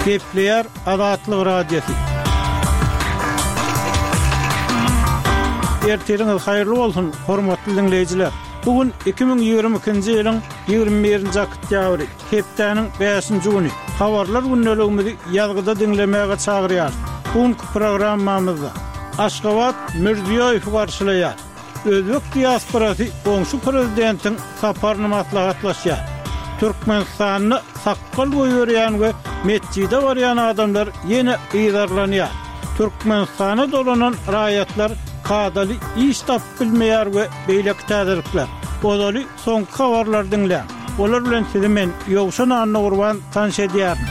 Gepleýär Azatlyk Radiosy. Ertiriňiz haýyrly bolsun, hormatly diňleýjiler! Bu gün 2022-nji ýylyň 21-nji oktýabry, hepdäniň bäşinji güni. Habarlar gündeligimizi ýazgyda diňlemäge çagyrýarys. Bu günki programmamyzda Aşgabat Mirziýoýewi garşylaýar. Özbek diasporasy goňşy prezidentiň saparyny maslahatlaşýar. Türkmenistanda sakgal goýberýän we metjide barýan adamlar ýene yzarlanýar. Türkmenistana dolanan raýatlar kadaly iş tapyp bilmeýär we beýleki täzelikler. Ozaly soňky habarlary diňläň. Olar bilen sizi men, Ýowşan Annagurban tanyş edýärin.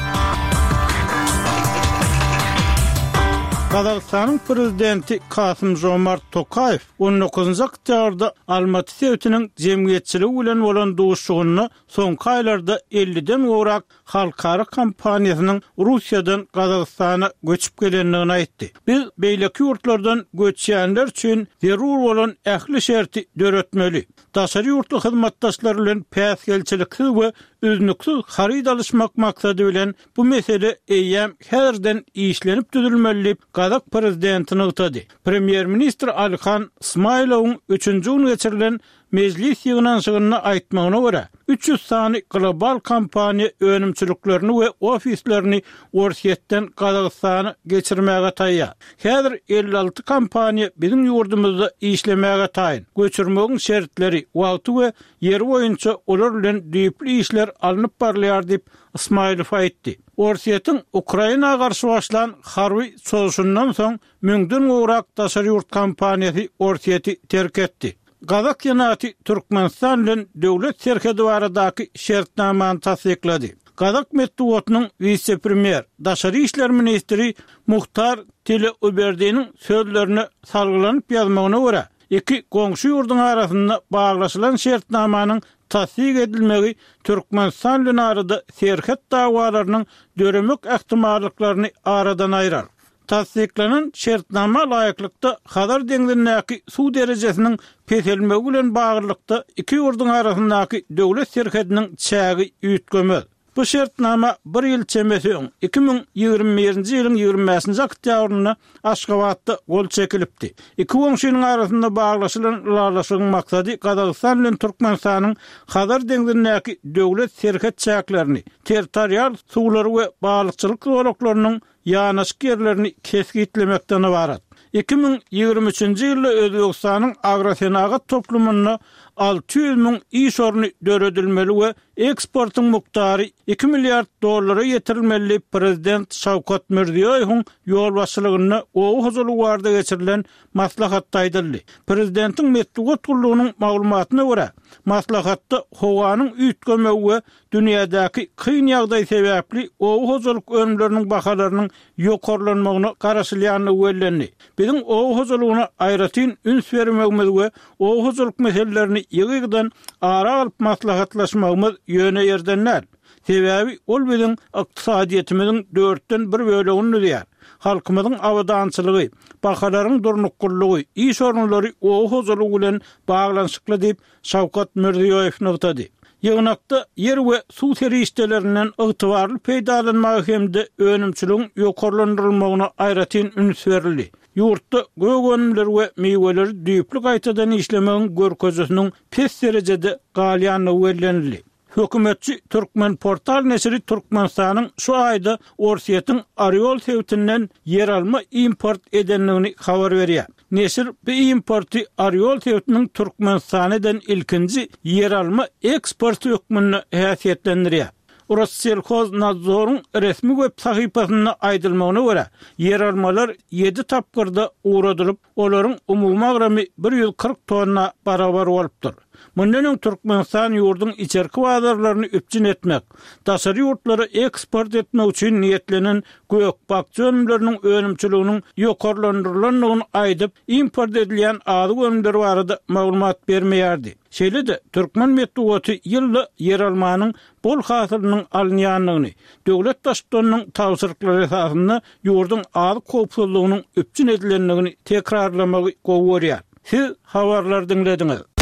Gazagystanyň prezidenti Kasym-Žomart Tokaýew on dokuzynjy oktýabrda Almaty sebitiniň jemgyýetçiligi bilen bolan duşuşygynda soňky aýlarda elliden gowrak halkara kompaniýasynyň Russiýadan Gazagystana göçüp gelendigini aýtdy. Biz beýleki ýurtlardan göçýänler üçin zerur bolan ähli şerti döretmeli. Daşary ýurtly hyzmatdaşlar bilen päsgelçiliksiz we üznüksiz haryt alyşmak maksady bilen bu mesele eýýäm häzirden işlenip düzülmeli diýip, gazak prezidenti nygtady. Premýer-ministr Alihan Smailowyň üçünji gün geçirilen Mejlis ýygnanyşygynda aýtmagyna görä, 300 sany global kompaniýa önümçiliklerini we ofislerini Orsýetden Gazagystana geçirmäge taýýar. Häzir 56 kompaniýa biziň ýurdumyzda işlemäge taýyn. Göçürmegiň şertleri, wagty we ýeri boýunça olar bilen düýpli işler alnyp barylýar diýip, Ysmaýylow aýtdy. Orsýetiň Ukraina garşy başlan harby çozuşyndan soň müňden gowrak daşary ýurt kompaniýasy Orsýeti terk etdi. Gazak Senaty Türkmenistan bilen döwlet serhedi baradaky şertnamany tassyklady. Gazak metbugatynyň wise-premýer, daşary işler ministri Muhtar Tileuberdiniň sözlerine salgylanyp ýazmagyna görä, iki goňşy ýurduň arasynda baglaşylan şertnamanyň tassyk edilmegi Türkmenistan bilen arada serhet dawalarynyň döremek ähtimallyklaryny aradan aýrar. Tassyklanan şertnama laýyklykda, Hazar deňzindäki suw derejesiniň peselmegi bilen baglylykda iki ýurduň arasyndaky döwlet serhediniň çägi üýtgemez. Bu şertnama bir ýyl çemesi öň, 2021-nji ýylyň 25-nji oktýabrynda Aşgabatda gol çekilipdi. Iki goňşynyň arasynda baglaşylan ylalaşygyň maksady Gazagystan bilen Türkmenistanyň Hazar deňzindäki döwlet serhet çäklerini, territorial suwlary we balykçylyk zolaklarynyň ýanaşyk ýerlerini kesgitlemekden ybarat. 2023-nji ýylda Özbegistanyň agrosenagat toplumynda 600 müň iş orny döredilmeli we eksportyň mukdary iki milliard dollara ýetirilmeli diýip, prezident Şawkat Mirziýoýewiň ýolbaşçylygynda oba hojalygy barada geçirilen maslahatda aýdyldy. Prezidentiň metbugat gullugynyň maglumatyna görä, maslahatda howanyň üýtgemegi we Dünýädäki kyn ýagdaý sebäpli oba hojalyk önümleriniň bahalarynyň ýokarlanmagyna garaşylýandygy bellendi. Biziň oba hojalygyna aýratyn üns bermegimiz we oba hojalyk meselelerini ýygy-ýygydan ara alyp maslahatlaşmagymyz ýöne ýerden däl. Sebäbi ol biziň ykdysadyýetimiziň dörtden bir bölegini düzýär. Halkymyzyň abadançylygy, bahalaryň durnuklylygy, iş orunlary oba hojalygy bilen baglanyşykly diýip, Şawkat Mirziýoýew nygtady. Ýygnakda ýer we suw serişdelerinden ygtybarly peýdalanmaga hem-de önümçiligiň ýokarlandyrylmagyna aýratyn üns berildi. Ýurtda gök önümleri we miweleri düýpli gaýtadan işlemegiň görkezijisiniň pes derejede galýandygy bellenildi. Hökümetçi Türkmenportal neşiri Türkmenistanyň şu aýda Orsýetiň Orýol sebitinden ýeralma import edendigini habar berýär. Neşir bu importy Orýol sebitiniň Türkmenistana eden ilkinji ýeralma eksporty hökmünde häsiýetlendirýär. Rosselhoznadzoryň resmi web sahypasynda aýdylmagyna görä, ýeralmalar ýedi tapgyrda ugradylyp, Olaryň umumy agramy 140 tonna barabar bolupdyr. Mundan öň Türkmenistan ýurduň içerki bazarlaryny üpjün etmek, daşary ýurtlara eksport etmek üçin niýetlenen gök-bakja önümleriniň önümçiliginiň ýokarlandyrylandygyny aýdyp, import edilýän azyk önümleri barada maglumat bermeýärdi. Şeýle-de, türkmen metbugaty ýylda ýeralmanyň bol hasylynyň alynýandygyny, döwlet Baştutanynyň tabşyryklary esasynda ýurduň azyk howpsuzlygynyň üpjün edilendigini tekrarlamagy gowy görýär. Siz habarlary diňlediňiz.